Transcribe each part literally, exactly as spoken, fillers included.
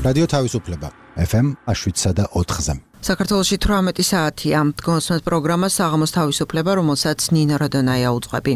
რადიო თავისუფლება ეფ ემ შვიდსა და ოთხზე. საქართველოში თვრამეტი საათია. გონსმენთ პროგრამა საღამოს თავისუფლება, რომელსაც ნინო რადონაია უძღვები.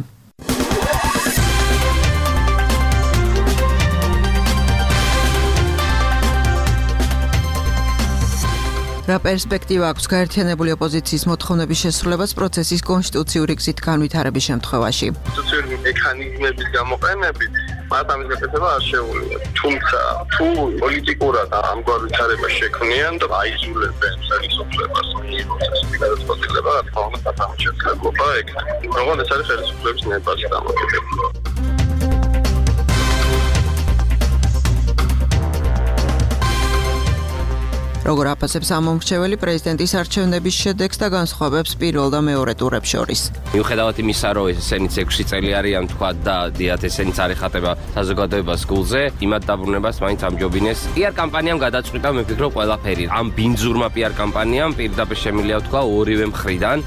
რა პერსპექტივა აქვს გაერთიანებული ოპოზიციის მოთხოვნების შესრულებას პროცესის კონსტიტუციური გზით განვითარების შემთხვევაში? კონსტიტუციური მექანიზმების გამოყენებით მათ ამის გაკეთება არ შეუძლია. თუმცა თუ პოლიტიკურად ამგვარ ვითარებას შექმნიან და აიზულებენ ხელისუფლებას პროცესის გადაწყვეტილება, რა თქმა უნდა, დამოჩენილობა ექნება. როგორ ეს არის ხელისუფლების ნებაში დამოკიდებული. როგორ აფასებს ამომრჩეველი პრეზიდენტის არჩევნების შედეგს და განსხვავებს პირველ და მეორე ტურებს შორის. მიუხედავად იმისა, რომ ესენიც ექვსი წელი არიან თქვა და დიახ ესენიც არ ეხატება საზოგადოებას გულზე, იმათ დაბრუნებას მაინც ამჯობინეს. პიარ კამპანიამ გადაწყვიტა მე ვფიქრობ ყველაფერი. ამ ბინძურმა პიარ კამპანიამ პირდაპირ შემიძლია თქვა ორივე მხრიდან.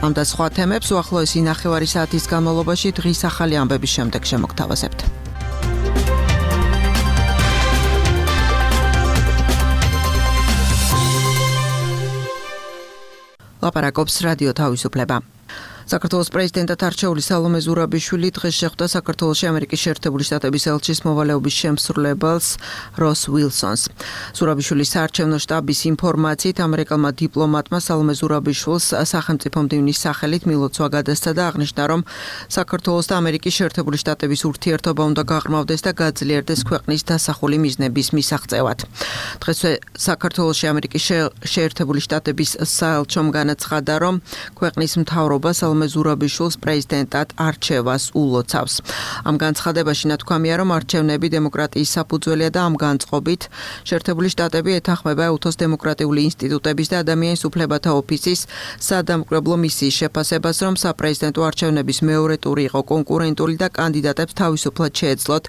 ამ და სხვა თემებს უახლოესი ნახევარი საათის განმავლობაში დღის ახალი ამბების შემდეგ შემოგთავაზებთ. ლაპარაკობს რადიო თავისუფლება. საქართველოს პრეზიდენტად არჩეული სალომე ზურაბიშვილი დღეს შეხვდა საქართველოში ამერიკის შეერთებული შტატების ელჩის მოვალეობის შემსრულებელს როს უილსონს. ზურაბიშვილის საარჩევნო შტაბის ინფორმაციით ამერიკელმა დიპლომატმა სალომე ზურაბიშვილს სახელმწიფო მდივნის სახელით მილოცვა გადასცა და აღნიშნა, რომ საქართველოს და ამერიკის შეერთებული შტატების ურთიერთობა უნდა გაღრმავდეს და გაძლიერდეს ქვეყნის დასახული მიზნების მისაღწევად. დღესვე საქართველოში ამერიკის შეერთებული შტატების საელჩომ განაცხადა, რომ ქვეყნის მთავრობა სალომე ზურაბიშვილს პრეზიდენტად არჩევას ულოცავს. ამ განცხადებაში ნათქვამია, რომ არჩევნები დემოკრატიის საფუძველია და ამ განწყობით შეერთებული შტატები ეთანხმება უთოს დემოკრატიული ინსტიტუტების და ადამიანის უფლებათა ოფისის სადამკვირვებლო მისიის შეფასებას, რომ საპრეზიდენტო არჩევნების მეორე ტური იყო კონკურენტული და კანდიდატებს თავისუფლად შეეძლოთ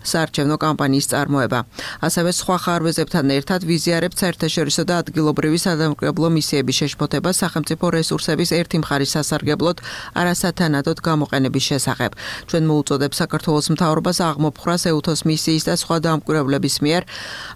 საარჩევნო კამპანიის წარმოება. ასევე სხვა ხარვეზებთან ერთად ვიზიარებთ საერთაშორისო და ადგილობრივი სადამკვირვებლო მისიების შეშფოთება სახელმწიფო რესურსების ერთი მხარის სასარგებლოდ არასათანადოდ გამოყენების შესახებ. ჩვენ მოუწოდებ საქართველოს მთავრობას აღმოფხრას ეუთოს მისიის და სხვა დამკვირვებლების მიერ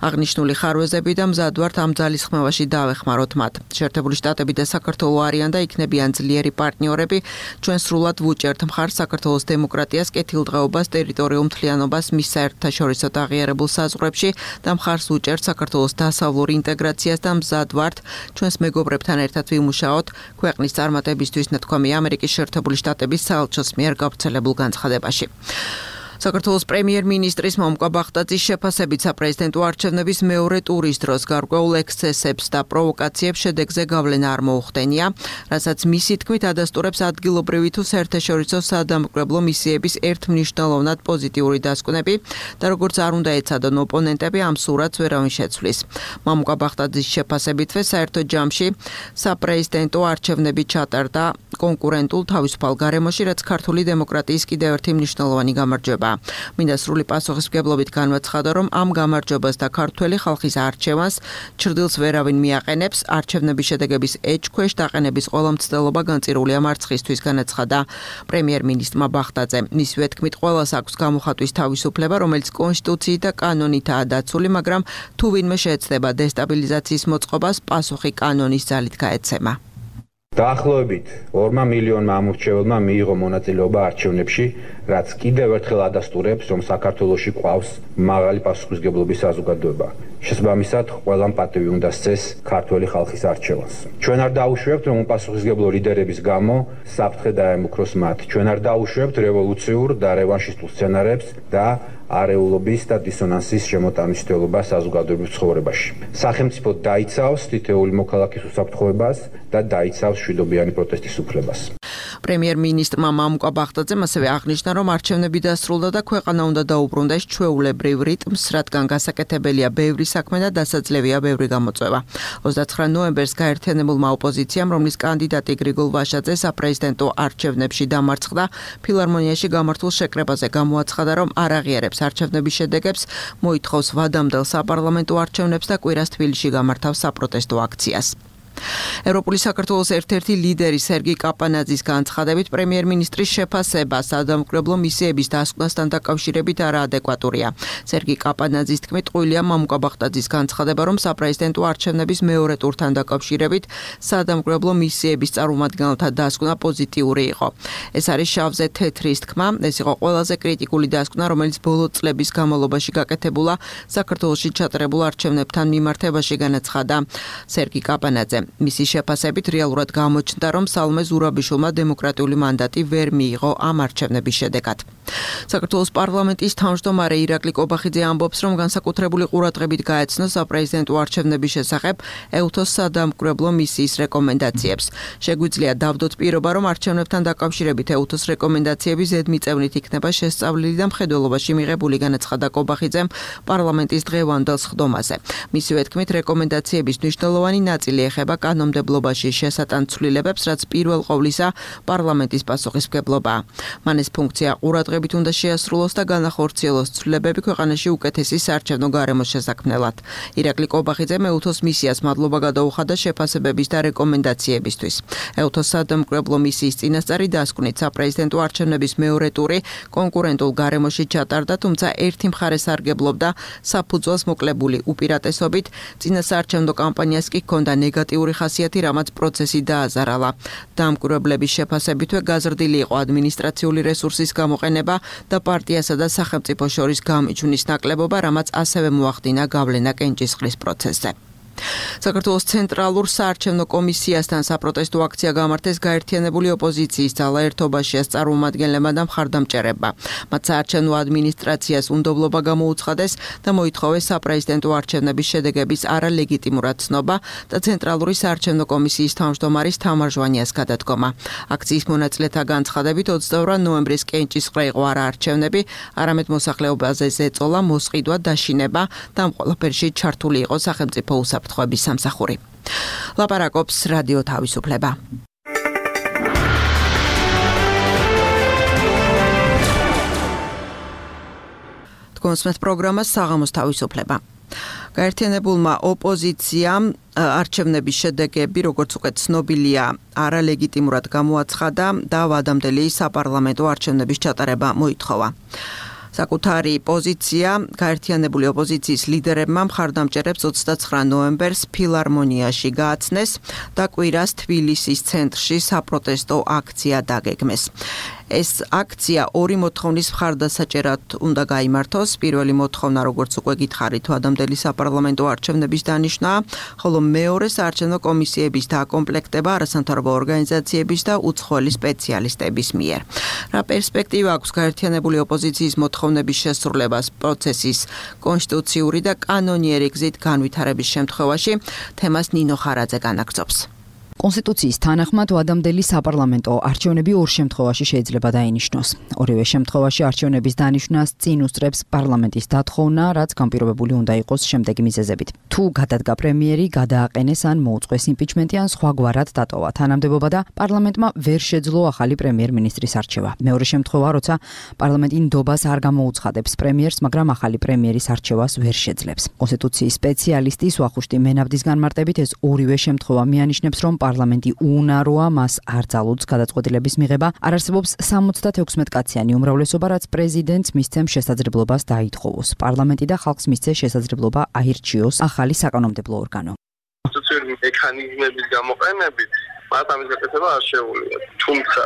აღნიშნული ხარვეზები და მზად ვართ ამ ძალისხმევაში დავეხმაროთ მათ. შეერთებული შტატები და საქართველო არიან და იქნებიან ძლიერი პარტნიორები. ჩვენ სრულად ვუჭერთ მხარს საქართველოს დემოკრატიას, კეთილდღეობას, ტერიტორიულ მთლიანობას, მის საერთაშორისო აღიარებულ საზღვრებში და მხარს უჭერთ საქართველოს დასავლურ ინტეგრაციას და მზად ვართ ჩვენს მეგობრებთან ერთად ვიმუშაოთ ქვეყნის წარმატებისთვის, ნათქვამია ამერიკის შეერთებული შტატების საელჩოს მიერ გავრცელებულ განცხადებაში. საქართველოს პრემიერ-მინისტრის მომკვა ბახტაძის შეფასებით საპრეზიდენტო არჩევნების მეორე ტურის დროს გარკვეულ ექსცესებს და პროვოკაციებს შედეგზე გავლენა არ მოუხდენია, რასაც მისი თქმით ადასტურებს ადგილობრივი თუ საერთაშორისო სადამკვირვებლო მისიების ერთმნიშვნელოვნად პოზიტიური დასკვნები და როგორც არ უნდა ეცადონ ოპონენტები, ამ სურათს ვერავინ შეცვლის. მომკვა ბახტაძის შეფასებითვე საერთო ჯამში საპრეზიდენტო არჩევნები ჩატარდა კონკურენტულ თავისუფალ გარემოში, რაც ქართული დემოკრატიის კიდევ ერთი მნიშვნელოვანი გამარჯვება. მინდა სრული პასუხისმგებლობით განვაცხადო, რომ ამ გამარჯვებას და ქართველი ხალხის არჩევანს ჩრდილს ვერავინ მიაყენებს. არჩევნების შედეგების ეჭქვეშ დაყენების ყველა მცდელობა განწირულია მარცხისთვის, განაცხადა პრემიერ-მინისტრმა ბახტაძემ. მისივე თქმით, ყველას აქვს გამოხატვის თავისუფლება, რომელიც კონსტიტუციით და კანონითაა დაცული, მაგრამ თუ ვინმე შეეცდება დესტაბილიზაციის მოწყობას, პასუხი კანონის ძალით გაეცემა. დაახლოებით ორმა მილიონმა ამორჩეველმა მიიღო მონაწილეობა არჩევნებში, რაც კიდევ ერთხელ ადასტურებს, რომ საქართველოში ყავს მაღალი პასუხისმგებლობის საზოგადოება. შესაბამისად, ყველამ პატივი უნდა სცეს ქართველი ხალხის არჩევანს. ჩვენ არ დაუშვებთ, რომ უპასუხისმგებლო ლიდერების გამო საფრთხე დაემუქროს მათ. ჩვენ არ დაუშვებთ რევოლუციურ და რევანშისტულ სცენარებს და არეულობის და დისონანსის შემოტანილობა საზოგადოებრივ ცხოვრებაში. სახელმწიფო დაიცავს თითოეული მოქალაქის უსაფრთხოებას და დაიცავს მშვიდობიანი პროტესტის უფლებას. პრემიერ-მინისტრმა მამუკა ბახტაძემ ასევე აღნიშნა, რომ არჩევნები დასრულდა და ქვეყანა უნდა დაუბრუნდეს ჩვეულებრივ რიტმს, რადგან გასაკეთებელია ბევრი საქმე და დასაძლევია ბევრი გამოწვევა. ოცდაცხრა ნოემბერს გაერთიანებულმა ოპოზიციამ, რომლის კანდიდატი გრიგოლ ვაშაძე საპრეზიდენტო არჩევნებში დამარცხდა, ფილარმონიაში გამართულ შეკრებაზე გამოაცხადა, რომ არ აღიარებს არჩევნების შედეგებს, მოითხოვს ვადამდელ საპარლამენტო არჩევნებს და კვირას თბილისში გამართავს საპროტესტო აქციას. ევროპული საქართველოს ერთ-ერთი ლიდერი სერგი კაპანაძის განცხადებით პრემიერ-მინისტრის შეფასება სადამკვირვებლო მისიების დასკვნასთან დაკავშირებით არაადეკვატურია. სერგი კაპანაძის თქმით, ტყუილია მამუკა ბახტაძის განცხადება, რომ საპრეზიდენტო არჩევნების მეორე ტურთან დაკავშირებით სადამკვირვებლო მისიების წარმომადგენელთა დასკვნა პოზიტიური იყო. ეს არის შავზე თეთრის თქმა, ეს იყო ყველაზე კრიტიკული დასკვნა, რომელიც ბოლო წლების განმავლობაში გაკეთებულა საქართველოში ჩატარებულ არჩევნებთან მიმართებაში, განაცხადა სერგი კაპანაძე. მისი შეფასებით რეალურად გამოჩნდა, რომ სალომე ზურაბიშვილმა დემოკრატიული მანდატი ვერ მიიღო ამ არჩევნების შედეგად. საქართველოს პარლამენტის თავმჯდომარე ირაკლი კობახიძე ამბობს, რომ განსაკუთრებული ყურადღებით გაეცნო საპრეზიდენტო არჩევნების შესახებ ეუთოს სადამკვირვებლო მისიის რეკომენდაციებს. შეგვიძლია დავდოთ პირობა, რომ არჩევნებთან დაკავშირებით ეუთოს რეკომენდაციები ზედმიწევნით იქნება შესწავლილი და მხედველობაში მიღებული, განაცხადა კობახიძემ პარლამენტის დღევანდელ სხდომაზე. მისივე თქმით, რეკომენდაციების მნიშვნელოვანი ნაწილი ეხება კანონმდებლობაში შესატან ცვლილებებს, რაც პირველ ყოვლისა პარლამენტის პასუხისმგებლობაა. მან ეს ფუნქცია ყურადღებით უნდა შეასრულოს და განახორციელოს ცვლილებები ქვეყანაში უკეთესი საარჩევნო გარემოს შესაქმნელად. ირაკლი კობახიძემ ეუთოს მისიას მადლობა გადაუხადა შეფასებების და რეკომენდაციებისთვის. ეუთოს სადამკვირვებლო მისიის წინასწარი დასკვნით საპრეზიდენტო არჩევნების მეორე ტური კონკურენტულ გარემოში ჩატარდა, თუმცა ერთი მხარე სარგებლობდა საფუძველს მოკლებული უპირატესობით, წინასაარჩევნო კამპანიას კი ჰქონდა ნეგატიური ხასიათი, რამაც პროცესი დააზარალა. დამკვირვებლების შეფასებითვე გაზრდილი იყო ადმინისტრაციული რესურსის გამოყენება და პარტიასა და სახელმწიფო შორის გამიჩვნის ნაკლებობა, რამაც ასევე მოახდინა გავლენა კენჭისყრის პროცესზე. საქართველოს ცენტრალურ საარჩევნო კომისიასთან საპროტესტო აქცია გამართეს გაერთიანებული ოპოზიციის ძალა ერთობაშიას წარმომადგენლებმა და მხარდამჭერებმა. მათ საარჩევნო ადმინისტრაციას უნდობლობა გამოუცხადეს და მოითხოვეს საპრეზიდენტო არჩევნების შედეგების არალეგიტიმურად ცნობა და ცენტრალური საარჩევნო კომისიის თავმჯდომარის თამარ ჟვანიას გადადგომა. აქციის მონაწილეთა განცხადებით ოცდაორი ნოემბრის კენჭისყრა იყო არა არჩევნები, არამედ მოსახლეობაზე ზეწოლა, მოსყიდვა, დაშინება და ამ ყველაფერში ჩართული იყო სახელმწიფო უსაფრთხოების სამსახური. ლაპარაკობს რადიო თავისუფლება. თქვენს პროგრამას საღამოს თავისუფლება. გაერთიანებულმა ოპოზიციამ არჩევნების შედეგები, როგორც უკვე ცნობილია, არალეგიტიმურად გამოაცხადა და ვადამდელი საპარლამენტო არჩევნების ჩატარება მოითხოვა. საკუთარი პოზიცია გაერთიანებული ოპოზიციის ლიდერებმა მხარდამჭერებს ოცდაცხრა ნოემბერს ფილარმონიაში გააცნეს და კვირას თბილისის ცენტრში საპროტესტო აქცია დაგეგმეს. ეს აქცია ორი მოთხოვნის მხარდასაჭერად უნდა გაიმართოს. პირველი მოთხოვნა, როგორც უკვე გითხარით, ვადამდელი საპარლამენტო არჩევნების დანიშვნაა, ხოლო მეორე საარჩევნო კომისიების დაკომპლექტება არასამთავრობო ორგანიზაციების და უცხოელი სპეციალისტების მიერ. რა პერსპექტივა აქვს გაერთიანებული ოპოზიციის მოთხოვნების შესრულებას პროცესის კონსტიტუციური და კანონიერი გზით განვითარების შემთხვევაში? თემას ნინო ხარაძე განაგრძობს. კონსტიტუციის თანახმად ვადამდელი საპარლამენტო არჩევნები ორ შემთხვევაში შეიძლება დაინიშნოს. ორივე შემთხვევაში არჩევნების დანიშვნას წინ უსწრებს პარლამენტის დათხოვნა, რაც განპირობებული უნდა იყოს შემდეგი მიზეზებით. თუ გადადგა პრემიერი, გადააყენეს ან მოუწყვეს იმპიჩმენტი ან სხვაგვარად დატოვა თანამდებობა და პარლამენტმა ვერ შეძლო ახალი პრემიერ-მინისტრის არჩევა. მეორე შემთხვევა, როცა პარლამენტი ნდობას არ გამოუცხადებს პრემიერს, მაგრამ ახალი პრემიერის არჩევას ვერ შეძლებს. კონსტიტუციის სპეციალისტის ვახუშტი მენაბდის განმარტებით ეს ორივე შემთხვევა მიანიშნებს, რომ პარლამენტი უუნაროა, მას არ ძალუძს გადაწყვეტილების მიღება, არ არსებობს სამოცდათექვსმეტ კაციანი უმრავლესობა, რაც პრეზიდენტს მისცემს შესაძლებლობას დაითხოვოს. პარლამენტი და ხალხს მისცეს შესაძლებლობა აირჩიოს ახალი საკანონმდებლო ორგანო. კონსტიტუციური მექანიზმების გამოყენებით მათ ამის გაკეთება არ შეუძლია. თუმცა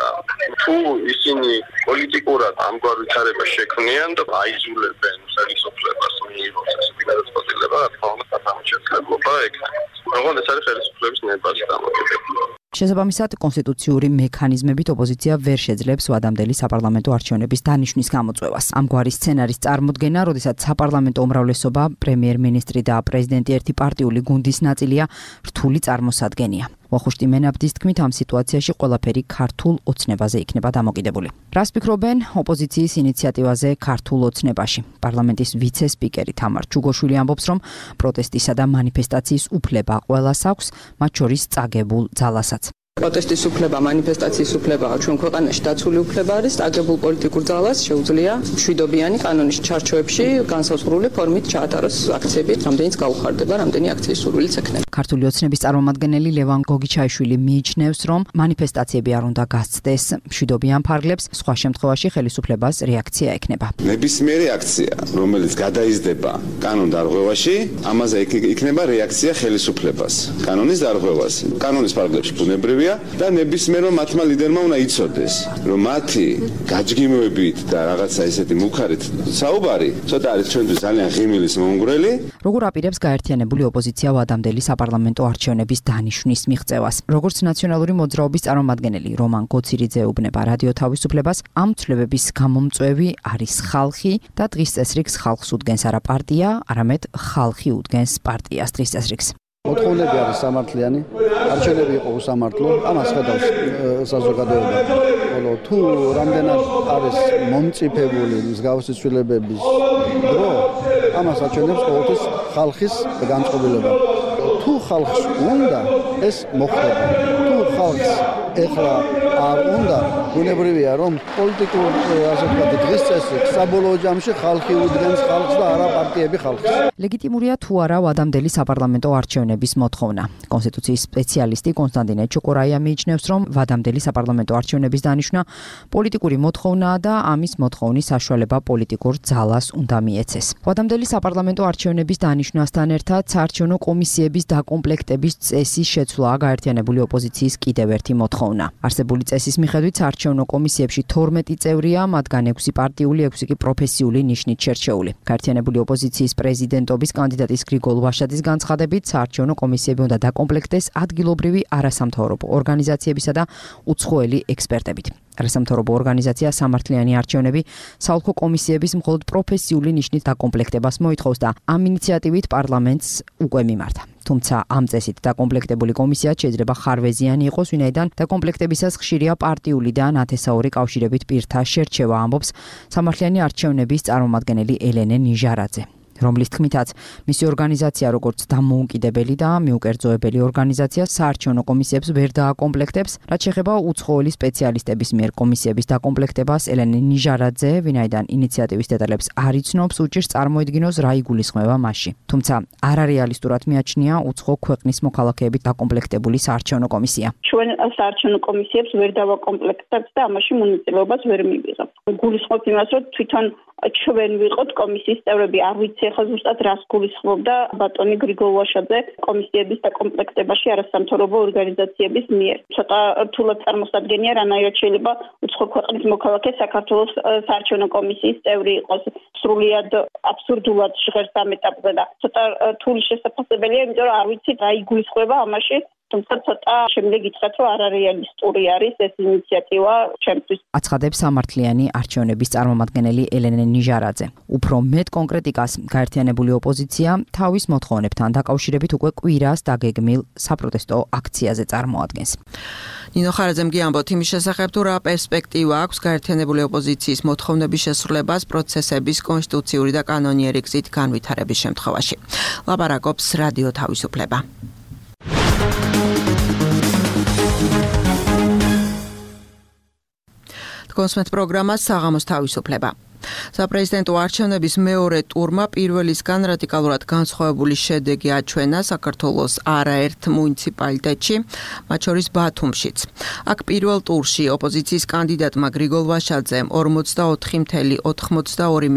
თუ ისინი პოლიტიკურად ამგვარ ვითარებას შექმნიან და აიძულებენ ხელისუფლებას მიიღოს ესეთი გადაწყვეტილება, რა თქმა უნდა, ამ შესაძლებლობა ექნება. როგორ ეს არის ხელისუფლების ნებაში დამოკიდებული. შესაბამისად, კონსტიტუციური მექანიზმებით ოპოზიცია ვერ შეძლებს ვადამდელი საპარლამენტო არჩევნების დანიშვნის გამოწვევას. ამგვარი სცენარის წარმოდგენა, როდესაც საპარლამენტო უმრავლესობა, პრემიერ-მინისტრი და პრეზიდენტი ერთი პარტიული გუნდის ნაწილია, რთული წარმოსადგენია. ვახუშტი მენაბდის თქმით, ამ სიტუაციაში ყველაფერი ქართულ ოცნებაზე იქნება დამოკიდებული. რას ფიქრობენ ოპოზიციის ინიციატივაზე ქართულ ოცნებაში? პარლამენტის ვიცე-სპიკერი თამარ ჩუგოშვილი ამბობს, რომ პროტესტისა და მანიფესტაციის უფლება ყველას აქვს, მათ შორის წაგებულ ძალასაც. პროტესტის უფლება, მანიფესტაციის უფლებაა ჩვენ ქვეყანაში დაცული უფლება არის, აგებულ პოლიტიკურ ძალას შეუძლია მშვიდობიანი კანონის ჩარჩოებში განსაზღვრული ფორმით ჩაატაროს აქციები, რამდენიც გაუხარდება, რამდენი აქციის სურვილიც ექნება. ქართული ოცნების წარმომადგენელი ლევან გოგიჩაიშვილი მიიჩნევს, რომ მანიფესტაციები არ უნდა გასცდეს მშვიდობიან ფარგლებს, სხვა შემთხვევაში ხელისუფლებას რეაქცია ექნება. ნებისმიერი აქცია, რომელიც გადაიზრდება კანონ დარღვევაში, ამაზე იქნება რეაქცია ხელისუფლებას. კანონის დარღვევას, კანონის ფარგლებში ბუნებრივია და ნებისმიერმა მათმა ლიდერმა უნდა იცოდეს, რომ მათი გაჯგიმოებით და რაღაცა ესეთი მუქარით საუბარი, ცოტა არის ჩვენთვის ძალიან ღიმილის მომგვრელი. როგორ აპირებს გაერთიანებული ოპოზიცია ვადამდელი საპარლამენტო არჩევნების დანიშვნის მიღწევას? როგორც ნაციონალური მოძრაობის წარმომადგენელი რომან გოცირიძე უბნება რადიო თავისუფლებას, ამ ცვლილებების გამომწვევი არის ხალხი და დღის წესრიგს ხალხს უდგენს არა პარტია, არამედ ხალხი უდგენს პარტიას დღის წესრიგს. მოთხოვნები არის სამართლიანი, არჩევნები იყო უსამართლო, ამას ხედავს საზოგადოება. ხოლო თუ რამდენად არის მომწიფებული მსგავსი ცვლილებების დრო, ამას აჩვენებს ყოველთვის ხალხის განწყობილება. თუ ხალხს უნდა, ეს მოხდება. თუ ხალხს ეხლა არ უნდა, ბუნებრივია, რომ პოლიტიკურ ასე ვთქვათ დღის წესრიგს საბოლოო ჯამში ხალხი უდგენს ხალხს და არა პარტიები ხალხს. ლეგიტიმურია თუ არა ვადამდელი საპარლამენტო არჩევნების მოთხოვნა. კონსტიტუციის სპეციალისტი კონსტანტინე ჩოკორაია მიიჩნევს, რომ ვადამდელი საპარლამენტო არჩევნების დანიშვნა პოლიტიკური მოთხოვნაა და ამის მოთხოვნის საშუალება პოლიტიკურ ძალას უნდა მიეცეს. ვადამდელი საპარლამენტო არჩევნების დანიშვნასთან ერთად საარჩევნო კომისიების დაკომპლექტების წესის შეცვლაა გაერთიანებული ოპოზიციის კიდევ ერთი მოთხოვნა. არსებული წესის მიხედვით საარჩევნო კომისიებში თორმეტი წევრია, მათგან ექვსი პარტიული, ექვსი კი პროფესიული ნიშნით შერჩეული. გაერთიანებული ოპოზიციის პრეზიდენტობის კანდიდატის გრიგოლ ვაშაძის განცხადებით, საარჩევნო კომისიები უნდა დაკომპლექტდეს ადგილობრივი არასამთავრობო ორგანიზაციებისა და უცხოელი ექსპერტებით. არასამთავრობო ორგანიზაცია სამართლიანი არჩევნები საოლქო კომისიების მხოლოდ პროფესიული ნიშნით დაკომპლექტებას მოითხოვს და ამ ინიციატივით პარლამენტს უკვე მიმართა. თუმცა ამ წესით დაკომპლექტებული კომისია შეიძლება ხარვეზიანი იყოს, ვინაიდან დაკომპლექტებისას ხშირია პარტიული და ნათესაური კავშირებით პირთა შერჩევა, ამბობს სამართლიანი არჩევნების წარმომადგენელი ელენე ნიჟარაძე, რომლის თქმითაც მისი ორგანიზაცია როგორც დამოუკიდებელი და მიუკერძოებელი ორგანიზაცია საარჩევნო კომისიებს ვერ დააკომპლექტებს, რაც შეეხება უცხოელი სპეციალისტების მიერ კომისიების დაკომპლექტებას. ელენე ნიჟარაძე, ვინაიდან ინიციატივის დეტალებს არ იცნობს, უჭირს წარმოედგინოს რა იგულისხმება მასში. თუმცა არარეალისტურად მიაჩნია უცხო ქვეყნის მოქალაქეებით დაკომპლექტებული საარჩევნო კომისია. ჩვენ საარჩევნო კომისიებს ვერ დავაკომპლექტებთ და ამაში მონაწილეობას ვერ მივიღებთ. გულისხმობ იმას, რომ თვითონ ჩვენ ვიყოთ კომისიის წევრები, არ ვიცი ახლა ზუსტად რას გულისხმობდა ბატონი გრიგოლ ვაშაძე კომისიების დაკომპლექტებაში არასამთავრობო ორგანიზაციების მიერ. ცოტა რთულად წარმოსადგენია, რანაირად შეიძლება უცხო ქვეყნის მოქალაქე საქართველოს საარჩევნო კომისიის წევრი იყოს. სრულიად აბსურდულად ჟღერს ამ ეტაპზე და ცოტა რთული შესაძლებელია, იმიტომ რომ არ ვიცი რა იგულისხმება ამაში. თუმცა ცოტა შემდეგ ითხრათ, რომ არარეალისტური არის ეს ინიციატივა ჩემთვის. აცხადებს სამართლიანი არჩევნების წარმომადგენელი ელენე ნიჟარაძე. უფრო მეტ კონკრეტიკას გაერთიანებული ოპოზიცია თავის მოთხოვნებთან დაკავშირებით უკვე კვირას დაგეგმილ საპროტესტო აქციაზე წარმოადგენს. ნინო ხარაძემ გიამბოთ იმის შესახებ, თუ რა პერსპექტივა აქვს გაერთიანებული ოპოზიციის მოთხოვნების შესრულებას პროცესების კონსტიტუციური და კანონიერი გზით განვითარების შემთხვევაში. ლაპარაკობს რადიო თავისუფლება. კონსმეთ პროგრამა საღამოს თავისუფლება. საპრეზიდენტო არჩევნების მეორე ტურმა პირველისგან რადიკალურად განსხვავებული შედეგი აჩვენა საქართველოს არაერთ მუნიციპალიტეტში, მათ შორის ბათუმშიც. აქ პირველ ტურში ოპოზიციის კანდიდატმა გრიგოლ ვაშაძემ ორმოცდაოთხი წუთი ოცდაორი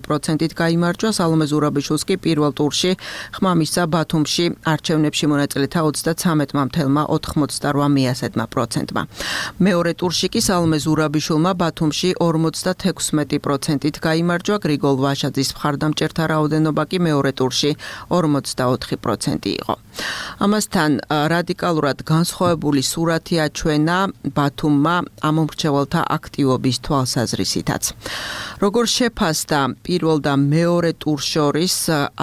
პროცენტით გაიმარჯვა, სალომე ზურაბიშვილს კი პირველ ტურში ხმა მისცა ბათუმში არჩევნებში მონაწილეთა ოცდათვრამეტ წუთი ოცდაორი პროცენტმა. მეორე ტურში კი სალომე ზურაბიშვილმა ბათუმში ორმოცდათექვსმეტი პროცენტით გაიმარჯვა, გრიგოლ ვაშაძის მხარდამჭერთა რაოდენობა კი მეორე ტურში ორმოცდაოთხი პროცენტი იყო. ამასთან რადიკალურად განსხვავებული სურათი აჩვენა ბათუმმა ამომრჩეველთა აქტივობის თვალსაზრისითაც. როგორ შეფასდა პირველ და მეორე ტურს შორის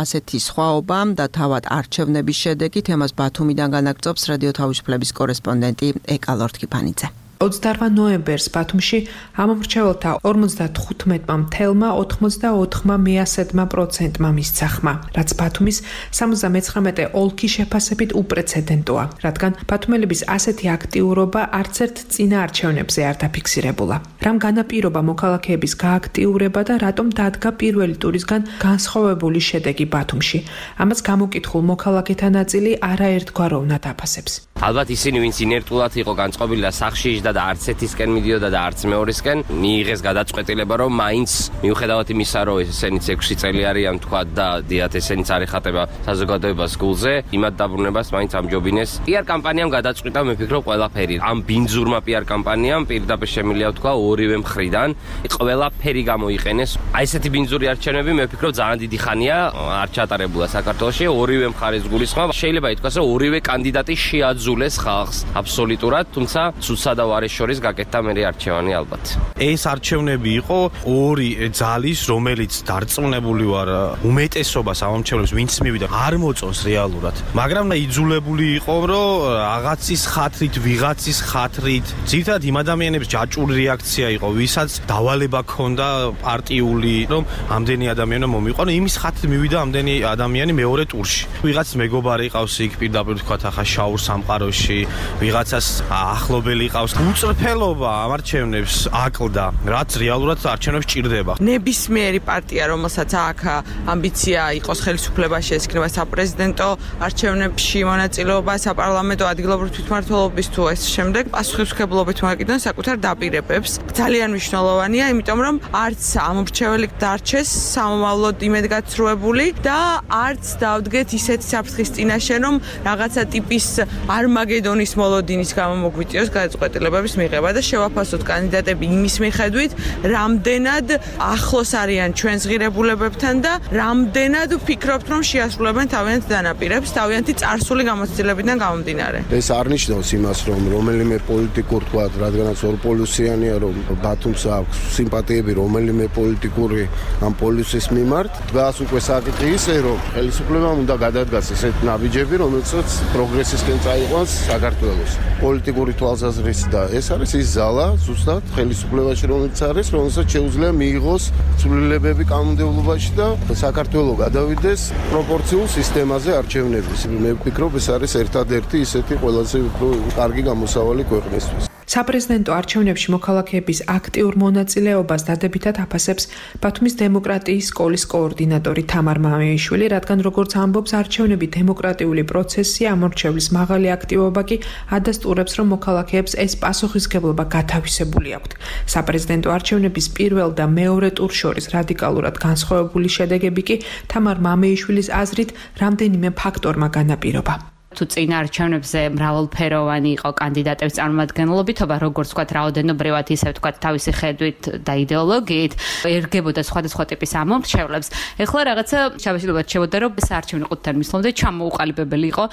ასეთი სხვაობა და თავად არჩევნების შედეგი, თემას ბათუმიდან განაგრძობს რადიო თავისუფლების კორესპონდენტი ეკა ლორთქიფანიძე. ოცდაოთხ ნოემბერს ბათუმში ამომრჩეველთა ორმოცდათხუთმეტ მეთელა ოთხმოცდაოთხ მეასედ პროცენტმა მისცა ხმა, რაც ბათუმის სამოცდამეცხრამეტე ოლქის შეფასებით უპრეცედენტოა, რადგან ბათუმელების ასეთი აქტიურობა არც ერთ წინა არჩევნებზე არ დაფიქსირებულა. რამ განაპირობა მოქალაქეების გააქტიურება და რატომ დადგა პირველი ტურისგან განსხვავებული შედეგი ბათუმში? ამას გამოკითხულ მოქალაქეთა ნაწილი არაერთგვაროვნად აფასებს. ალბათ ისინი, ვინც ინერტულად იყო განწყობილი და სახში იჯდა და არც ერთისკენ მიდიოდა და არც მეორისკენ, მიიღეს გადაწყვეტილება, რომ მაინც მიუხედავად იმისა, რომ ესენიც ექვსი წელი არიან თქვა და დიათ ესენიც არ ეხატება საზოგადოებას გულზე, იმად დაბრუნებას მაინც ამჯობინეს. პიარ კამპანიამ გადაწყვიტა, მე ვფიქრობ, ყველაფერი. ამ ბინძურმა პიარ კამპანიამ პირდაპირ შემიძლია თქვა ორივე მხრიდან ყველაფერი გამოიყენეს. აი ესეთი ბინძური არჩევნები მე ვფიქრობ ძალიან დიდი ხანია არ ჩატარებულა საქართველოში, ორივე მხარეს გულისხმობ. შეიძლება ითქვას, რომ ორივე კანდიდატი შეაძულეს ხალხს აბსოლუტურად, თუმცა ცუდსა და ვარეს შორის გაკეთდა მერე არჩევანი ალბათ. ეს არჩევნები იყო ორი ძალის, რომელიც დარწმუნებული ვარ უმეტესობას ამომრჩევლებს, ვინც მივიდა, არ მოწონს რეალურად. მაგრამ იძულებული იყო, რომ რაღაცის ხათრით, ვიღაცის ხათრით, ძირითადად იმ ადამიანების ჯაჭვური რეაქცია იყო, ვისაც დავალება ჰქონდა პარტიული, რომ ამდენი ადამიანი მომიყვანო, იმის ხათრით მივიდა ამდენი ადამიანი მეორე ტურში. ვიღაც მეგობარი ყავს იქ პირდაპირ თქვათ ახლა შაურ სამყაროში, ვიღაცას ახლობელი ყავს. უწრფელობა ამ არჩევნებს აკლდა, რაც რეალურად არჩევნებს ჭირდება. ნებისმიერი პარტია, რომელსაც აქვს ამბიცია იყოს ხელისუფლებაში, ეს იქნება საპრეზიდენტო არჩევნებში მონაწილეობა, საპარლამენტო ადგილობრივ თვითმმართველობის თუ ეს შემდეგ პასუხისმგებლობით მოეკიდონ საკუთარ დაპირებებს. ძალიან მნიშვნელოვანია, იმიტომ რომ არც ამომრჩეველი დარჩეს სამომავლოდ იმედგაცრუებული და არც დავდგეთ ისეთ საფრთხის წინაშე, რომ რაღაცა ტიპის არმაგედონის მოლოდინის გამო მოგვიწიოს გადაწყვეტილებების მიღება და შევაფასოთ კანდიდატები იმის მიხედვით, რამდენად ახლოს არიან ჩვენს ღირებულებებთან და რამდენად ვფიქრობთ, რომ შეასრულებენ თავიანთ დანაპირებს, თავიანთი წარსული გამოცდილებიდან გამომდინარე. ეს არ ნიშნავს იმას, რომ რომელიმე პოლიტიკურ თქვა, რადგანაც ორპოლუსიანია, რომ ბათუმს აქვს სიმპათიები რომელიმე პოლიტიკური ამ პოლუსის მიმართ, დგას უკვე საკითხი ისე, რომ ხელისუფლებამ უნდა გადადგას ესეთ ნაბიჯები, რომელსაც პროგრესისკენ წაიყვანს საქართველოს. პოლიტიკური თვალსაზრისით და ეს არის ის ზალა, ზუსტად ხელისუფლებაში რომელიც არის, რომელსაც შეუძლია მიიღოს ცვლილებები კანონმდებლობაში და საქართველოს გადავიდეს პროპორციულ სისტემაზე არჩევნების. მე ვფიქრობ, ეს არის ერთადერთი ისეთი ყველაზე უფრო კარგი გამოსავალი ქვეყნისთვის. საპრეზიდენტო არჩევნებში მოქალაქეების აქტიურ მონაწილეობას დადებითად აფასებს ბათუმის დემოკრატიის სკოლის კოორდინატორი თამარ მამეიშვილი, რადგან როგორც ამბობს, არჩევნები დემოკრატიული პროცესია, ამორჩევლის მაღალი აქტივობა კი ადასტურებს, რომ მოქალაქეებს ეს პასუხისმგებლობა გათავისებული აქვთ. საპრეზიდენტო არჩევნების პირველ და მეორე ტურს შორის რადიკალურად განსხვავებული შედეგები კი თამარ მამეიშვილის აზრით რამდენიმე ფაქტორმა განაპირობა. თუ წინა არჩევნებზე მრავალფეროვანი იყო კანდიდატების წარმომადგენლობითობა, როგორც ვთქვათ, რაოდენობრივად, ისე ვთქვათ, თავისი ხედვით და იდეოლოგიით, ერგებოდა სხვადასხვა ტიპის ამომრჩევლებს. ეხლა რაღაცა შაბაშილობად შევოდა, რომ საარჩევნო ყუთთან მისვლამდე ჩამოუყალიბებელი იყო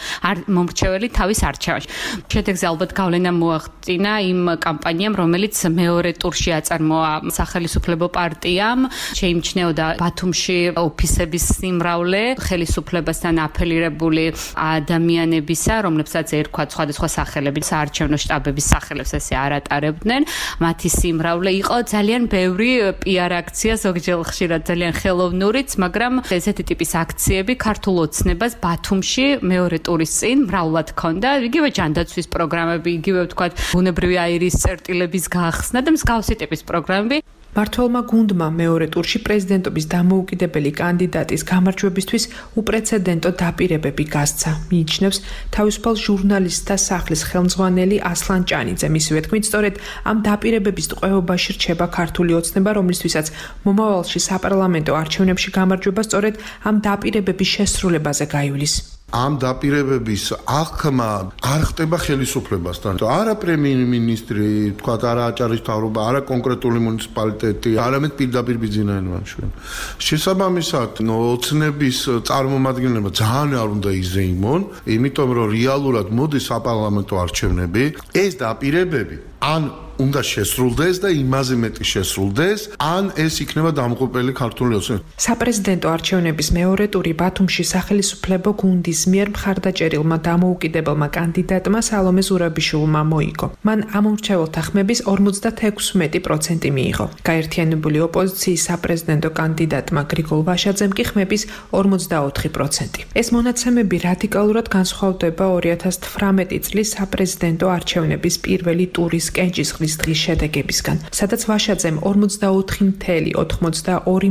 მომრჩეველი თავის არჩევანში. შედეგზე ალბათ გავლენა მოახდინა იმ კამპანიამ, რომელიც მეორე ტურში აწარმოა სახელისუფლებო პარტიამ, შეიმჩნეოდა ბათუმში ოფისების სიმრავლე, ხელისუფლებასთან აფილირებული ადამიანი ნებისა, რომლებსაც ერქვათ სხვადასხვა სახელებით, საარჩევნო შტაბების სახელებს ესე არ ატარებდნენ, მათი სიმრავლე იყო ძალიან ბევრი პიარ აქცია, ზოგჯერ ხშირად ძალიან ხელოვნურიც, მაგრამ ესეთი ტიპის აქციები ქართულ ოცნებას ბათუმში მეორე ტურის წინ მრავლად ჰქონდა, იგივე ჯანდაცვის პროგრამები, იგივე ვთქვათ, ბუნებრივი აირის წერტილების გახსნა და მსგავსი ტიპის პროგრამები. მართველმა გუნდმა მეორე ტურში პრეზიდენტობის დამოუკიდებელი კანდიდატის გამარჯვებისთვის უპრეცედენტო დაპირებები გასცა, მიიჩნევს თავისუფალ ჟურნალისტთა სახლის ხელმძღვანელი ასლან ჭანიძე. მისივე თქმით, სწორედ ამ დაპირებების ტყვეობაში რჩება ქართული ოცნება, რომლისთვისაც მომავალში საპარლამენტო არჩევნებში გამარჯვება სწორედ ამ დაპირებების შესრულებაზე გაივლის. ამ დაპირებების აღქმა არ ხდება ხელისუფლებასთან. არა პრემიერ-მინისტრი, თქვა არა აჭარის მთავრობა, არა კონკრეტული მუნიციპალიტეტი, არამედ პირდაპირ ბიძინა ივანიშვილი. შესაბამისად, ოცნების წარმომადგენლობა ძალიან არ უნდა იზეიმონ, იმიტომ რომ რეალურად მოდის საპარლამენტო არჩევნები, ეს დაპირებები ან უნდა შესრულდეს და იმაზე მეტი შესრულდეს, ან ეს იქნება დამღუპელი ქართული ოცნება. საპრეზიდენტო არჩევნების მეორე ტური ბათუმში სახელმწიფო გუნდის მიერ მხარდაჭერილმა დამოუკიდებელმა კანდიდატმა სალომე ზურაბიშვილმა მოიგო. მან ამომრჩეველთა ხმების ორმოცდაექვსი პროცენტი მიიღო. გაერთიანებული ოპოზიციის საპრეზიდენტო კანდიდატმა გრიგოლ ვაშაძემ კი ხმების ორმოცდაოთხი პროცენტი. ეს მონაცემები რადიკალურად განსხვავდება ორი ათას თვრამეტი წლის საპრეზიდენტო არჩევნების პირველი ტურის კენჭისყრის დღის შედეგებისგან, სადაც ვაშაძემ ორმოცდაოთხი целых ოთხმოცდაორი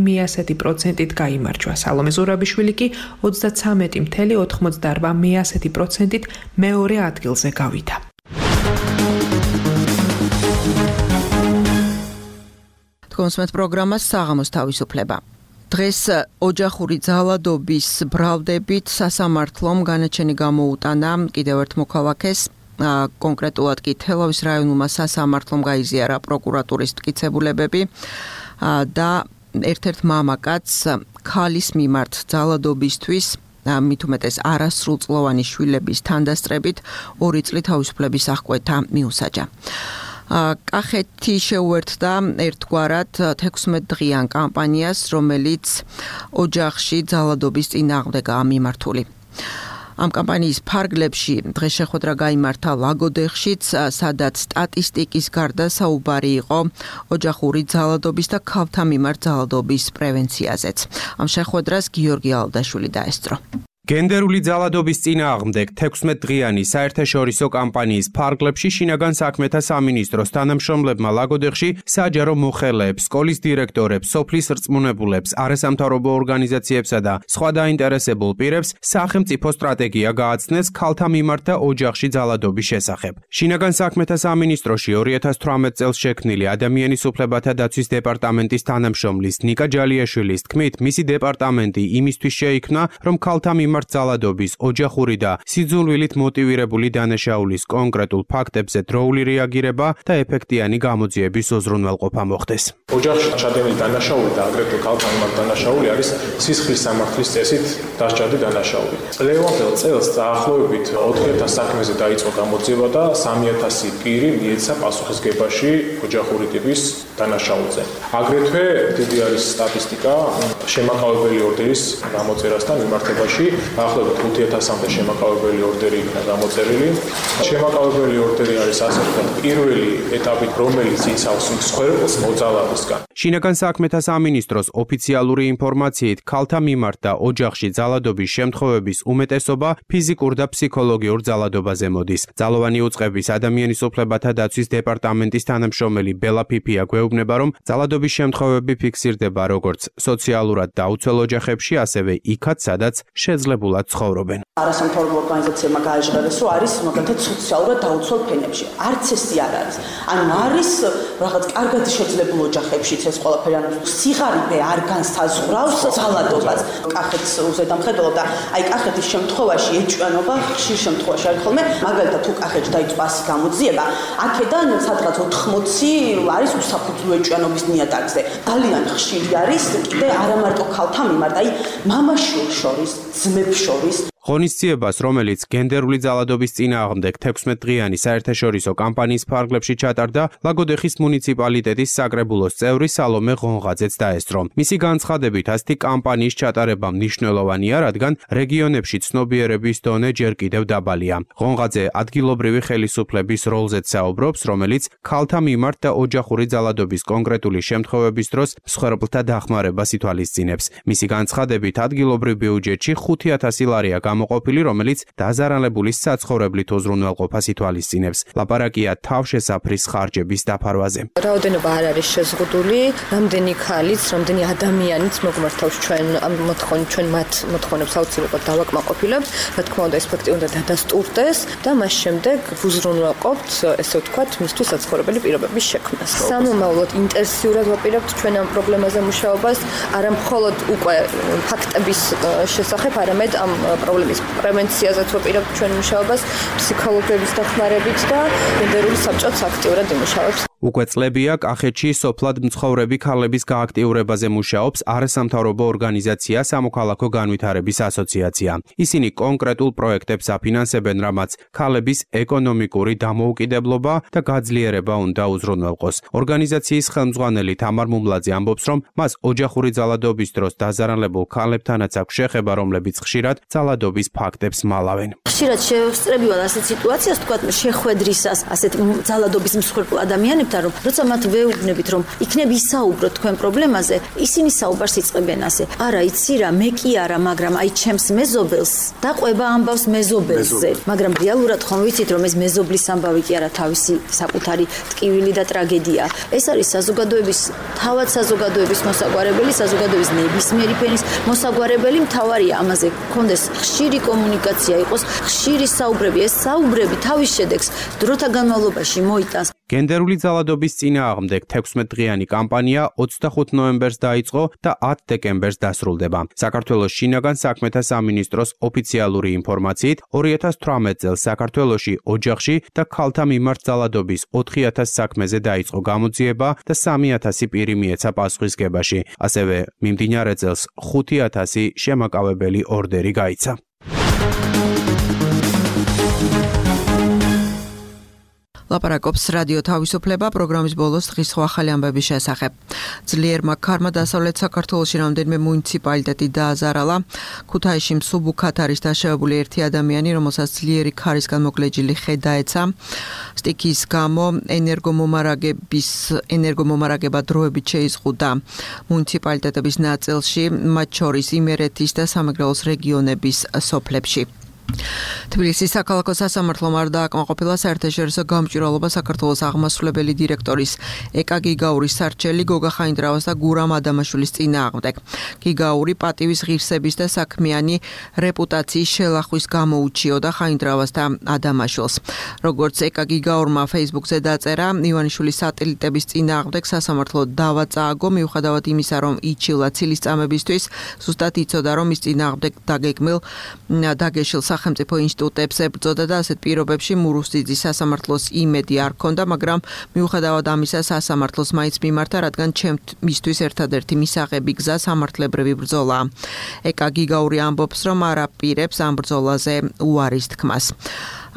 პროცენტით გაიმარჯვა. სალომე ზურაბიშვილი კი ოცდაცამეტი целых ოთხმოცდაორბა პროცენტით მეორე ადგილზე გავიდა. კონსმეთ პროგრამას საღამოს თავისუფლება. დღეს ოჯახური ძალადობის ბრალდებით სასამართლომ განაჩენი გამოუტანა კიდევ ერთ მოქალაქეს, კონკრეტულად კი თელავის რაიონულმა სასამართლომ გაიზიარა პროკურატურის მტკიცებულებები და ერთ-ერთ მამაკაცს ქალის მიმართ ძალადობისთვის მით უმეტეს არასრულწლოვანი შვილების თანდასწრებით ორი წლით თავისუფლების აღკვეთა მიუსაჯა. კახეთი შეუერთდა ერთგვარად თექვსმეტდღიან კამპანიას, რომელიც ოჯახში ძალადობის წინააღმდეგაა მიმართული. ამ კამპანიის ფარგლებში დღეს შეხვედრა გაიმართა ლაგოდეხშიც, სადაც სტატისტიკის გარდა საუბარი იყო ოჯახური ძალადობის და ქალთა მიმართ ძალადობის პრევენციაზეც. ამ შეხვედრას გიორგი ალდაშვილი დაესწრო. გენდერული ძალადობის წინააღმდეგ თექვსმეტდღიანი საერთაშორისო კამპანიის ფარგლებში შინაგან საქმეთა სამინისტროს თანამშრომლებმა ლაგოდეხში საჯარო მოხელეებს, სკოლის დირექტორებს, სოფლის რწმუნებულებს, არასამთავრობო ორგანიზაციებსა და სხვა დაინტერესებულ პირებს სახელმწიფო სტრატეგია გააცნეს ქალთა მიმართ და ოჯახში ძალადობის შესახებ. შინაგან საქმეთა სამინისტროში ორი ათას თვრამეტ წელს შექმნილი ადამიანის უფლებათა დაცვის დეპარტამენტის თანამშრომლის ნიკა ჯალიაშვილის თქმით, მისი დეპარტამენტი იმისთვის შეიქმნა, რომ ქალთა მიმართ ძალადობის, ოჯახური და სიძულვილით მოტივირებული დანაშაულის კონკრეტულ ფაქტებზე დროული რეაგირება და ეფექტიანი გამოძიების უზრუნველყოფა მოხდეს. ოჯახში ჩადენილი დანაშაული და აგრეთვე ქალთა მიმართ დანაშაული არის სისხლის სამართლის წესით დასჭადი დანაშაული. წლევანდელ წელს დაახლოებით ოთხი ათას საქმეზე დაიწყო გამოძიება და სამი ათასი პირი მიეცა პასუხისგებაში ოჯახური ტიპის დანაშაულზე. აგრეთვე დიდი არის სტატისტიკა შემაკავებელი ორდერის გამოწერასთან მიმართებაში. დაახლოებით ხუთი ათასამდე შემაკავებელი ორდერი იქნა გამოწერილი. შემაკავებელი ორდერი არის ასე ვთქვათ პირველი ეტაპი, რომელიც იცავს მსხვერპლს მოძალადისგან. შინაგან საქმეთა სამინისტროს ოფიციალური ინფორმაციით, ქალთა მიმართ და ოჯახში ძალადობის შემთხვევების უმეტესობა ფიზიკურ და ფსიქოლოგიურ ძალადობაზე მოდის. ძალოვანი უწყების ადამიანის უფლებათა დაცვის დეპარტამენტის თანამშრომელი ბელა ფიფია გვეუბნება, რომ ძალადობის შემთხვევები ფიქსირდება როგორც სოციალურად დაუცველ ოჯახებში, ასევე იქაც, სადაც შეძლებულად ცხოვრობენ. არასამთავრობო ორგანიზაციებმა გააჟღერეს, რომ არის მაგალითად სოციალურად დაუცველ ფენებში. არც ესე არ არის. ანუ არის რაღაც კარგად შეძლებულ ოჯახებშიც ეს ყველაფერი, ანუ სიღარიბე არ განსაზღვრავს ძალადობას. კახეთს უზედამხედველობ და აი კახეთის შემთხვევაში ეჭვიანობა ხშირ შემთხვევაში არის ხოლმე, მაგალითად თუ კახეთში დაიწყო ასი გამოძიება, აქედან სადღაც ოთხმოცი არის უსაფუძვლო ეჭვიანობის ნიადაგზე. ძალიან ხშირი არის კიდე არა მარტო ქალთა მიმართ, აი მამაშვილ შორის, ძმებს შორის. ღონისძიებას, რომელიც გენდერული ძალადობის წინააღმდეგ თექვსმეტდღიანი საერთაშორისო კამპანიის ფარგლებში ჩატარდა, ლაგოდეხის მუნიციპალიტეტის საკრებულოს წევრი სალომე ღონღაძეც დაესწრო. მისი განცხადებით, ასეთი კამპანიის ჩატარება მნიშვნელოვანია, რადგან რეგიონებში ცნობიერების დონე ჯერ კიდევ დაბალია. ღონღაძე ადგილობრივი ხელისუფლების როლზეც საუბრობს, რომელიც ქალთა მიმართ და ოჯახური ძალადობის კონკრეტული შემთხვევების დროს მსხვერპლთა დახმარებას ითვალისწინებს. მისი განცხადებით, ადგილობრივ ბიუჯეტში ხუთი ათასი ლარია გამოყოფილი, რომელიც დაზარალებული საცხოვრებლით უზრუნველყოფას ითვალისწინებს. ლაპარაკია თავშესაფრის ხარჯების დაფარვაზე. რაოდენობა არ არის შეზღუდული, რამდენი ქალიც, რამდენი ადამიანიც მოგვმართავს ჩვენ ამ მოთხოვნით, ჩვენ მათ მოთხოვნებს აუცილებლად დავაკმაყოფილებთ, რა თქმა უნდა, ეს ფაქტი უნდა დადასტურდეს და მას შემდეგ უზრუნველყოფთ, ესე ვთქვათ, მისთვის საცხოვრებელი პირობების შექმნას. სამომავლოდ ინტენსიურად ვაპირებთ ჩვენ ამ პრობლემაზე მუშაობას, არა მხოლოდ უკვე ფაქტების შესახებ, არამედ ამ პრობლემის პრევენციაზეც ვაპირებთ ჩვენ მუშაობას, ფსიქოლოგების დახმარებით და გენდერული საბჭოც აქტიურად იმუშავებს. უკვე წლებია კახეთში სოფლად მცხოვრები ქალების გააქტიურებაზე მუშაობს არასამთავრობო ორგანიზაცია სამოქალაქო განვითარების ასოციაცია. ისინი კონკრეტულ პროექტებს აფინანსებენ, რამაც ქალების ეკონომიკური დამოუკიდებლობა და გაძლიერება უნდა უზრუნველყოს. ორგანიზაციის ხელმძღვანელი თამარ მუმლაძე ამბობს, რომ მას ოჯახური ძალადობის დროს დაზარალებულ ქალებთანაც აქვს შეხება, რომლებიც ხშირად ძალადობის ფაქტებს მალავენ. ხშირად შევსწრებივალ ასეთ სიტუაციას, თქვათ, შეხვედრისას ასეთ ძალადობის მსხვერპლ ადამიანებთან, რომ როცა მათ ვეუბნებით, რომ იქნებ ისაუბროთ თქვენ პრობლემაზე, ისინი საუბარს იწყებენ ასე. არა, იცი რა, მე კი არა, მაგრამ აი ჩემს მეზობელს დაყვება ამბავს მეზობელზე. მაგრამ რეალურად ხომ ვიცით, რომ ეს მეზობლის ამბავი კი არა თავისი საკუთარი ტკივილი და ტრაგედია. ეს არის საზოგადოების, თავად საზოგადოების მოსაგვარებელი, საზოგადოების ნებისმიერი ფენის მოსაგვარებელი. მთავარია ამაზე გქონდეს ხშირი კომუნიკაცია, იყოს ხშირი საუბრები. ეს საუბრები თავის შედეგს დროთა განმავლობაში მოიტანს. გენდერული ძალადობის წინააღმდეგ თექვსმეტდღიანი კამპანია ოცდახუთ ნოემბერს დაიწყო და ათ დეკემბერს დასრულდება. საქართველოს შინაგან საქმეთა სამინისტროს ოფიციალური ინფორმაციით, ორი ათას თვრამეტ წელს საქართველოში ოჯახში და ქალთა მიმართ ძალადობის ოთხი ათას საქმეზე დაიწყო გამოძიება და სამი ათასი პირი მიეცა პასუხისგებაში. ასევე მიმდინარე წელს ხუთი ათასი შემაკავებელი ორდერი გაიცა. ლაპარაკობს რადიო თავისუფლება პროგრამის ბოლოს დღის სხვა ახალი ამბების შესახებ. ძლიერმა ქარმა დასავლეთ საქართველოში რამდენიმე მუნიციპალიტეტი დააზარალა. ქუთაისში მსუბუქად არის დაშავებული ერთი ადამიანი, რომელსაც ძლიერი ქარისგან მოგლეჯილი ხე დაეცა. სტიქის გამო ენერგომომარაგების ენერგომომარაგება დროებით შეიზღუდა მუნიციპალიტეტების ნაწილში, მათ შორის იმერეთის და სამეგრელოს რეგიონების სოფლებში. თბილისის საქალაქო სასამართლომ არ დააკმაყოფილა საერთაშორისო გამჭვირვალობა საქართველოს აღმასრულებელი დირექტორის ეკა გიგაურის სარჩელი გოგა ხაინდრავას და გურამ ადამაშვილის წინააღმდეგ. გიგაური პატივის ღირსების და საქმიანი რეპუტაციის შელახვის გამო უჩიოდა ხაინდრავას და ადამაშვილს. როგორც ეკა გიგაურმა Facebook-ზე დაწერა, ივანიშვილის სატელიტების წინააღმდეგ სასამართლო დავა წააგო, მიუხედავად იმისა, რომ იჩივლა ცილის წამებისთვის, ზუსტად იცოდა, რომ ის წინააღმდეგ დაგეგმილ დაგეშილ სახელმწიფო ინსტიტუტებს ებრძოდა და ასეთ პირობებში მურუსძიძის სასამართლოს იმედი არ ჰქონდა, მაგრამ მიუხედავად ამისა სასამართლოს მაინც მიმართა, რადგან ჩემთვის ერთადერთი მისაღები გზა სამართლებრივი ბრძოლაა. ეკა გიგაური ამბობს, რომ არ აპირებს ამ ბრძოლაზე უარის თქმას.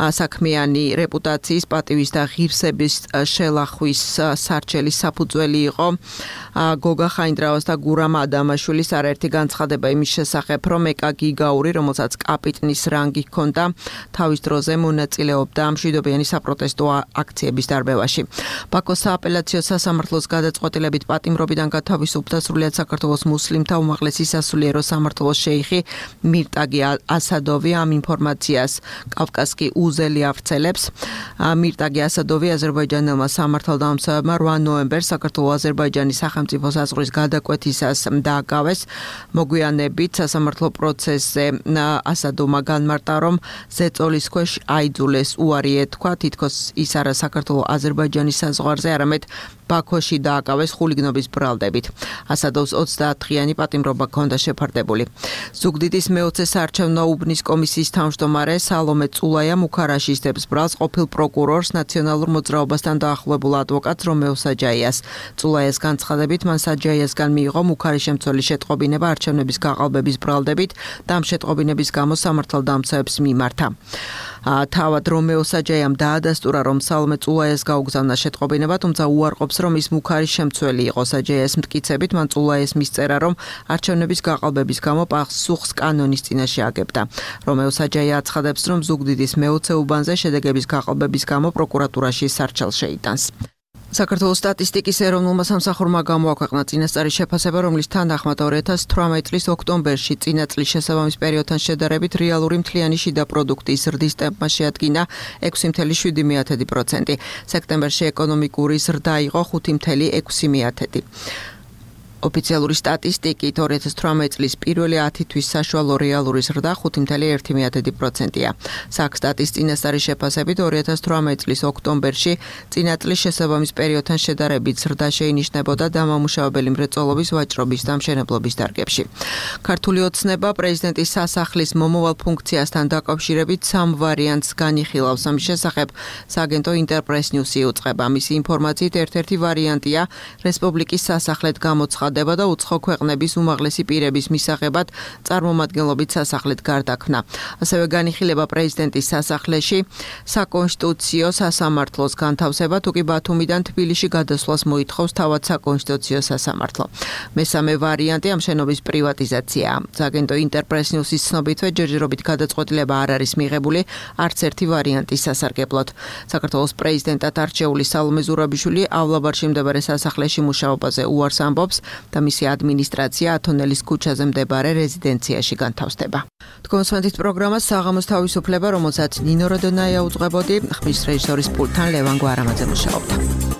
საქმიანი რეპუტაციის პატივის და ღირსების შელახვის სარჩელის საფუძველი იყო გოგა ხაინდრავას და გურამ ადამაშვილის არაერთი განცხადება იმის შესახებ, რომ ეკა გიგაური, რომელსაც კაპიტნის რანგი ჰქონდა, თავის დროზე მონაწილეობდა მშვიდობიანი საპროტესტო აქციების დარბევაში. ბაქოს სააპელაციო სასამართლოს გადაწყვეტილებით პატიმრობიდან გათავისუფლდა სრულიად საქართველოს მუსლიმთა უმაღლესი სასულიერო სამართლოს შეიხი მირტაგი ასადოვი. ამ ინფორმაციას კავკასკი უზელი ავრცელებს. მირტაგი ასადოვი აზერბაიჯანელმა სამართალდამცავებმა რვა ნოემბერს საქართველოს აზერბაიჯანის სახელმწიფო საზღვრის გადაკვეთისას დააკავეს. მოგვიანებით სასამართლო პროცესზე ასადოვმა განმარტა, რომ ზეწოლის ქვეშ აიძულეს უარი ეთქვა, თითქოს ის არა საქართველოს აზერბაიჯანის საზღვარზე, არამედ ბაქოში დააკავეს ხულიგნობის ბრალდებით. ასადოვს ოცდაათდღიანი პატიმრობა ჰქონდა შეფარდებული. ზუგდიდის მეოცე საარჩევნო უბნის კომისიის თავმჯდომარე სალომე წულაიამ უქარაშისტებს ბრალს ყოფილ პროკურორს, ნაციონალურ მოძრაობასთან დაახლოებულ ადვოკატს რომეო საჯაიას. წულაიას განცხადებით, მან საჯაიასგან მიიღო მუქარი შემცველი შეტყობინება არჩევნების გაყალბების ბრალდებით და ამ შეტყობინების გამო სამართალდამცავებს მიმართა. თავად რომეო საჯაიამ დაადასტურა, რომ სალომე წულაიას გაუგზავნა შეტყობინება, თუმცა უარყოფს, რომ ის მუქარი შემცველი იყო. საჯაიას მტკიცებით, მან წულაიას მისწერა, რომ არჩევნების გაყალბების გამო პასუხს კანონის წინაშე აგებდა. რომეო საჯაია აცხადებს, რომ ზუგდიდის მეოცე უბანზე შედეგების გაყალბების გამო პროკურატურაში სარჩელს შეიტანს. საქართველოს სტატისტიკის ეროვნულმა სამსახურმა გამოაქვეყნა წინასწარი შეფასება, რომლის თანახმად ორი ათას თვრამეტი წლის ოქტომბერში წინა წლის შესაბამის პერიოდთან შედარებით რეალური მთლიანი შიდა პროდუქტის ზრდის ტემპმა შეადგინა ექვსი ათეული შვიდი პროცენტი. სექტემბერში ეკონომიკური ზრდა იყო ხუთი ათეული ექვსი პროცენტი. ოფიციალური სტატისტიკით ორი ათას თვრამეტი წლის პირველი ათი თვის საშუალო რეალური ზრდა ხუთი კoma ერთი პროცენტია. საქსტატის წინასწარი შეფასებით ორი ათას თვრამეტი წლის ოქტომბერში წინა წლის შესაბამის პერიოდთან შედარებით ზრდა შეინიშნებოდა დამამუშავებელი მრეწველობის ვაჭრობის და მშენებლობის დარგებში. ქართული ოცნება პრეზიდენტის სასახლის მომავალ ფუნქციასთან დაკავშირებით სამ ვარიანტს განიხილავს. ამის შესახებ სააგენტო ინტერპრეს ნიუსი იუწყება. მისი ინფორმაციით ერთ-ერთი ვარიანტია რესპუბლიკის სასახლედ გამოცხადება და უცხო ქვეყნების უმაღლესი პირების მისაღებად წარმომადგენლობით სასახლედ გარდაქმნა. ასევე განიხილება პრეზიდენტის სასახლეში საკონსტიტუციო სასამართლოს განთავსება, თუ კი ბათუმიდან თბილისში გადასვლას მოითხოვს თავად საკონსტიტუციო სასამართლო. მესამე ვარიანტი ამ შენობის პრივატიზაციაა. სააგენტო ინტერპრეს ნიუსის ცნობითვე ჯერჯერობით გადაწყვეტილება არ არის მიღებული არც ერთი ვარიანტის სასარგებლოდ. საქართველოს პრეზიდენტად არჩეული სალომე ზურაბიშვილი ავლაბარში მდებარე სასახლეში მუშაობაზე უარს ამბობს და მისი ადმინისტრაცია ათონელის ქუჩაზე მდებარე რეზიდენციაში განთავსდება. თქვენსმენთ პროგრამას საღამოს თავისუფლება, რომელსაც ნინო როდონაია უძღვებოდი, ხმის რეჟისორის პულტთან ლევან გვარამაძე მუშაობდა.